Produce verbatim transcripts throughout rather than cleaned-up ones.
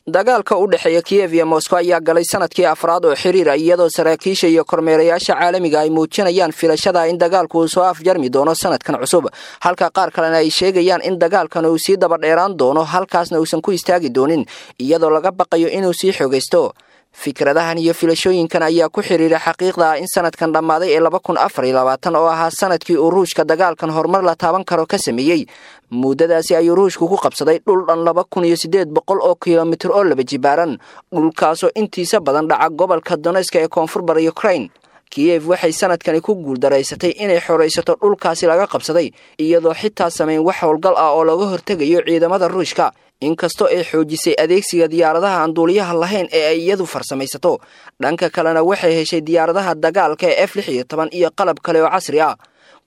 Dagaalka u dhexeeya Kiyev iyo Moscow ayaa galay sanadkii afraad oo xiriira, iyadoo saraakiisha iyo kormeerayaasha caalamiga ay muujinayaan filashada in dagaalku uu soo afjarmi doono sanadkan cusub, halka qaar kalena ay sheegayaan in dagaalkan uu sii daba dheeraan doono, halkaasna uusan ku istaagi doonin, iyadoo laga baqayo inuu sii xoogaysto. Fikradahan iyo filashooyinkan ayaa ku xiriira xaqiiqda ah in sanadkan dhammaaday ee laba kun afar iyo labaatan oo ahaa sanadkii uu Ruushka dagaalkan horumar la taaban karo ka sameeyey. Muddadaasi ayuu Ruushku ku qabsaday dhul dhan laba kun iyo siddeed boqol oo kilomitir oo laba jibaaran, dhulkaasoo intiisa badan dhaca gobolka Donetska ee koonfur bari Ukraine. Kiyev waxay sanadkani ku guuldaraysatay inay xoraysato dhulkaasi laga qabsaday, iyadoo xitaa samayn wax howlgal ah oo looga hortegayo ciidamada Ruushka, inkastoo ay xoojisay adeegsiga diyaaradaha aan duuliyaha lahayn ee ay iyadu farsamaysato. Dhanka kalena waxay heshay diyaaradaha dagaalka ee F lix iyo toban iyo qalab kale oo casri ah,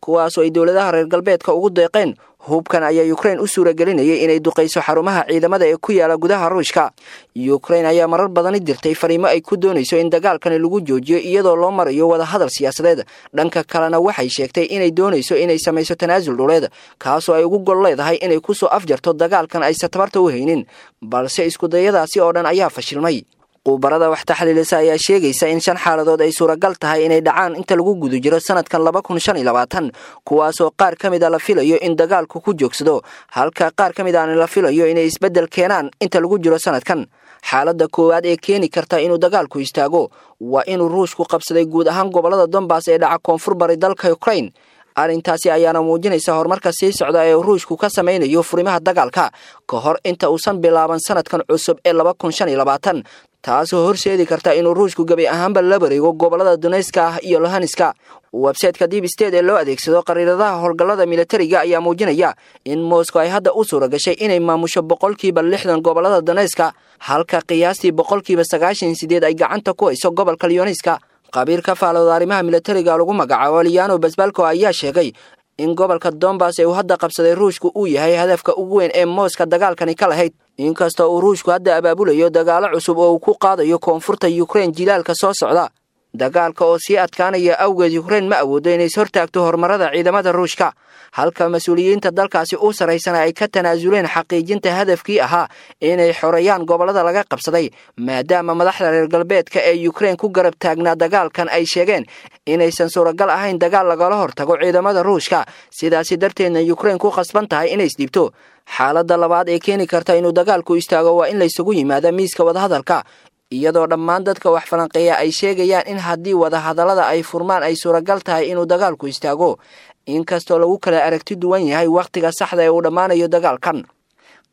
kuwaasoo ay dowladaha reer galbeedka ugu deeqeen. Hubkan ayaa Ukraine u suuragelinayay inay duqayso xarumaha ciidamada ee ku yaala gudaha Ruushka. Ukraine ayaa marar badani dirtay fariimo ay ku doonayso in dagaalkani lagu joojiyo iyadoo loo marayo wadahadal siyaasadeed. Dhanka kalena waxay sheegtay inay doonayso inay samayso tanaasul dhuleed, kaasoo ay ugu gol leedahay inay kusoo afjarto dagaalkan aysan tabarta u haynin, balse iskudayadaasi oo dhan ayaa fashilmay. Qubarada wax taxliilisa ayaa sheegaysa in shan xaaladood ay suuragal tahay inay dhacaan inta lagu guda jiro sanadkan laba kun shan iyo labaatan, kuwaasoo qaar ka mid a la filayo in dagaalku ku joogsado, halka qaar ka mid aana la filayo inay isbeddel keenaan inta lagu jiro sanadkan. Xaaladda koowaad ee keeni karta inuu dagaalku istaago waa inuu Ruushku qabsaday guud ahaan gobollada Donbass ee dhaca koonfur bari dalka Ukraine. Arrintaasi ayaana muujinaysa horumarka sii socda ee Ruushku ka samaynayo furimaha dagaalka ka hor inta uusan bilaaban sanadkan cusub ee laba kun shan iyo labaatan, taasoo horseedi karta inuu Ruushku gebi ahaanba la wareego gobollada Donetska ah iyo Luhanska. Website-ka Deep State ee loo adeegsado qariiradaha howlgallada militariga ayaa muujinaya in Moscow ay hadda u suura gashay inay maamusho boqolkiiba lixdan gobollada Donetska, halka qiyaastii boqolkiiba sagaashan sideed ay gacanta ku hayso gobolka Luhanska. Qabiir ka faalooda arrimaha militariga lagu magacaabo Liano Basbalko ayaa sheegay in gobolka Donbass ee uu hadda qabsaday Ruushku uu yahay hadafka ugu weyn ee Moscow dagaalkani ka lahayd, inkastoo uu Ruushku hadda abaabulayo dagaalo cusub oo uu ku qaadayo koonfurta Ukraine jilaalka soo socda. Dagaalka oo sii adkaanaya awgeed, Ukraine ma awoodo inay hortaagto horumarada ciidamada Ruushka, halka mas-uuliyiinta dalkaasi u saraysana ay ka tanaasuleen xaqiijinta hadafkii ahaa inay xoreeyaan gobollada laga qabsaday, maadaama madaxda reer galbeedka ee Ukraine ku garab taagnaa dagaalkan ay sheegeen inaysan suuragal ahayn dagaal lagala hortago ciidamada Ruushka, sidaasi darteedna Ukraine ku khasban tahay inay isdhiibto. Xaaladda labaad ee keeni karta inuu dagaalku istaago waa in laysugu yimaado miiska wadahadalka, iyadoo dhammaan dadka wax falanqeeya ay sheegayaan in haddii wadahadallada ay furmaan ay suuragal tahay inuu dagaalku istaago, inkastoo lagu kala aragti duwan yahay wakhtiga saxda ee uu dhammaanayo dagaalkan.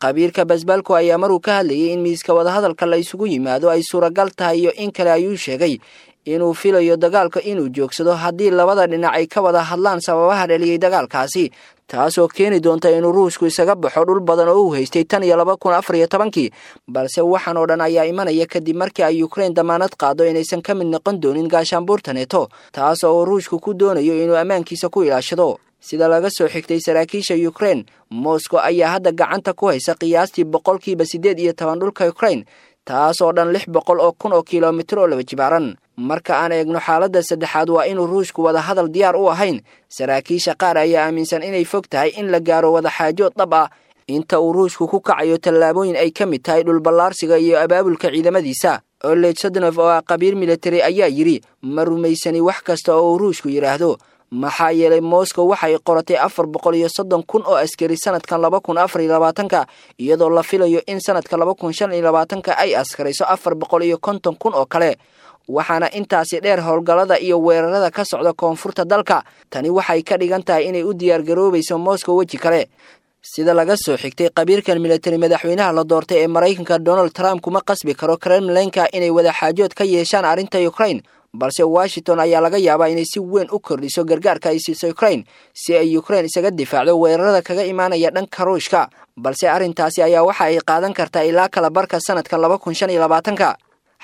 Qabiirka Basbalko ayaa maruu ka hadlayay in miiska wadahadalka la isugu yimaado ay suuragal tahay iyo in kale ayuu sheegay inuu filayo dagaalka inuu joogsado haddii labada dhinac ay ka wada hadlaan sababaha dhaliyey dagaalkaasi, taasoo keeni doonta inuu Ruushku isaga baxo dhul badan oo uu haystay tan iyo laba kun afar iyo tobankii. Balse waxaan oo dhan ayaa imanaya kadib markii ay Ukraine damaanad qaado inaysan ka mid noqon doonin gaashaanbuurta Neto, taas oo uu Ruushku ku doonayo inuu ammaankiisa ku ilaashado. Sida laga soo xigtay saraakiisha Ukraine, Moscow ayaa hadda gacanta ku haysa qiyaastii boqolkiiba siddeed iyo toban dhulka Ukraine, taasoo dhan lix boqol oo kun oo kilomitir oo laba jibaaran. Marka aan eegno xaaladda saddexaad waa inuu Ruushku wada hadal diyaar u ahayn. Saraakiisha qaar ayaa aaminsan inay fog tahay in la gaaro wadaxaajood dhab ah inta uu Ruushku ku kacayo tallaabooyin ay ka mid tahay dhulballaarsiga iyo abaabulka ciidamadiisa. Oleg Sadnov oo ah qabiir militari ayaa yidhi, ma rumaysani wax kasta oo uu Ruushku yidhaahdo, maxaa yeelay Moscow waxay qoratay afar boqol iyo soddon kun oo askari sanadkan laba kun afar iyo labaatanka, iyadoo la filayo in sanadka laba kun shan iyo labaatanka ay askarayso afar boqol iyo konton kun oo kale. Waxaana intaasi dheer howlgallada iyo weerarada ka socda koonfurta dalka. Tani waxay ka dhigan tahay inay u diyaargaroobayso Moscow weji kale. Sida laga soo xigtay qabiirkan militari, madaxweynaha la doortay ee Maraykanka Donald Trump kuma qasbi karo Kremlinka inay wadaxaajood ka yeeshaan arrinta Ukraine, balse Washington ayaa laga yaabaa inay si weyn u kordhiso gargaarka ay siiso Ukraine si ay Ukraine isaga difaacdo weerarada kaga imaanaya dhanka Ruushka. Balse arrintaasi ayaa waxa ay qaadan kartaa ilaa kala barka sanadkan laba kun shan iyo labaatanka.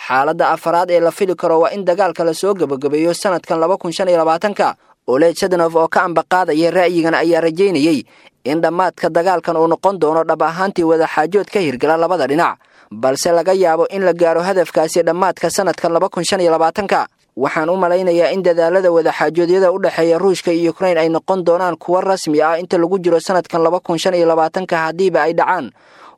Xaaladda afaraad ee la fili karo waa in dagaalka lasoo gabagabeeyo sanadkan laba kun shan iyo labaatanka. Oleg Sadnov oo ka ambaqaadaya ra'yigan ayaa rajaynayey in dhammaadka dagaalkan uu noqon doono dhab ahaantii wadaxaajood ka hirgala labada dhinac, balse laga yaabo in la gaaro hadafkaasi dhammaadka sanadkan laba kun shan iyo labaatanka. Waxaan u malaynayaa in dadaalada wadaxaajoodyada u dhexeeya Ruushka iyo Ukraine ay noqon doonaan kuwo rasmi ah inta lagu jiro sanadkan laba kun shan iyo labaatanka haddiiba ay dhacaan.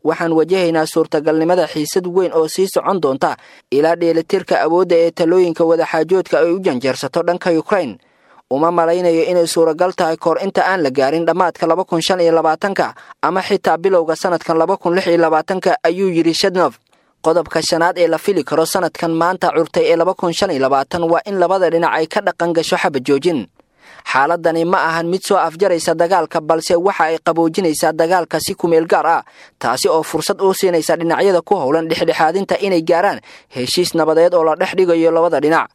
Waxaan wajahaynaa suurtagalnimada xiisad weyn oo sii socon doonta ilaa dheelitirka awoodda ee talooyinka wadaxaajoodka ay u janjeersato dhanka Ukraine. Uma malaynayo inay suuragal tahay kahor inta aan la gaarin dhammaadka laba kun shan iyo labaatanka ama xitaa bilowga sanadkan laba kun lix iyo labaatanka, ayuu yidhi Shadnof. Qodobka shanaad ee la fili karo sanadkan maanta curtay ee laba kun shan iyo labaatan waa in labada dhinac ay ka dhaqan gasho xabad joojin. Xaaladani ma ahan mid soo afjaraysa dagaalka, balse waxa ay qaboojinaysaa dagaalka si kumeel gaar ah, taasi oo fursad u siinaysa dhinacyada ku howlan dhexdhexaadinta inay gaaraan heshiis nabadeed oo la dhex dhigayo labada dhinac.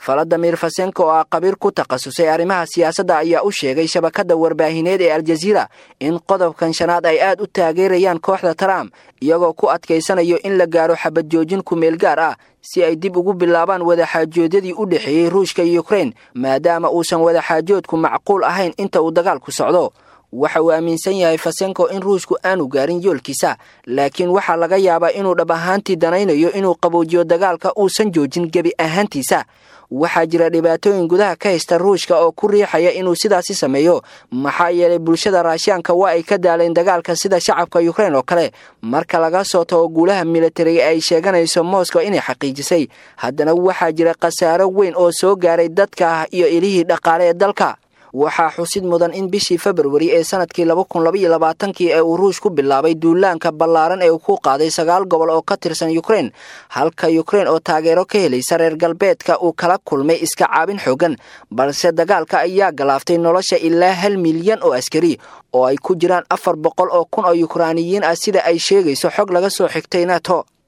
Valadimir Fasenko oo ah qabiir ku takhasusay arrimaha siyaasadda ayaa u sheegay shabakadda warbaahineed ee Aljaziira in qodobkan shanaad ay aad u taageerayaan kooxda Trump, iyagoo ku adkaysanayo in la gaaro xabad joojin kumeel gaar ah si ay dib ugu bilaabaan wadaxaajoodyadii u dhexeeyey Ruushka iyo Ukraine, maadaama uusan wadaxaajoodku macquul ahayn inta uu dagaalku socdo. Waxa uu aaminsan yahay Fasenko in Ruushku aanu gaarin yoolkiisa, laakiin waxaa laga yaabaa inuu dhab ahaantii danaynayo inuu qaboojiyo dagaalka uusan joojin gebi ahaantiisa. Waxaa jira dhibaatooyin gudaha ka haysta Ruushka oo ku riixaya inuu sidaasi sameeyo, maxaa yeelay bulshada Raashiyaanka waa ay ka daaleen dagaalka sida shacabka Ukraine oo kale. Marka laga soo tago guulaha militariga ay sheeganayso Moscow inay xaqiijisay, haddana waxaa jira khasaaro weyn oo soo gaaray dadka iyo ilihii dhaqaale ee dalka. Waxaa xusid mudan in bishii Februari ee sanadkii laba kun laba iyo labaatankii ee uu Ruush ku bilaabay duulaanka ballaaran ee uu ku qaaday sagaal gobol oo ka tirsan Ukraine, halka Ukraine oo taageero ka helaysa reer galbeedka uu kala kulmay iska caabin xooggan, balse dagaalka ayaa galaaftay nolosha ilaa hal milyan oo askari oo ay ku jiraan afar boqol oo kun oo Yukraaniyiin ah, sida ay sheegayso xog laga soo xigtay NATO.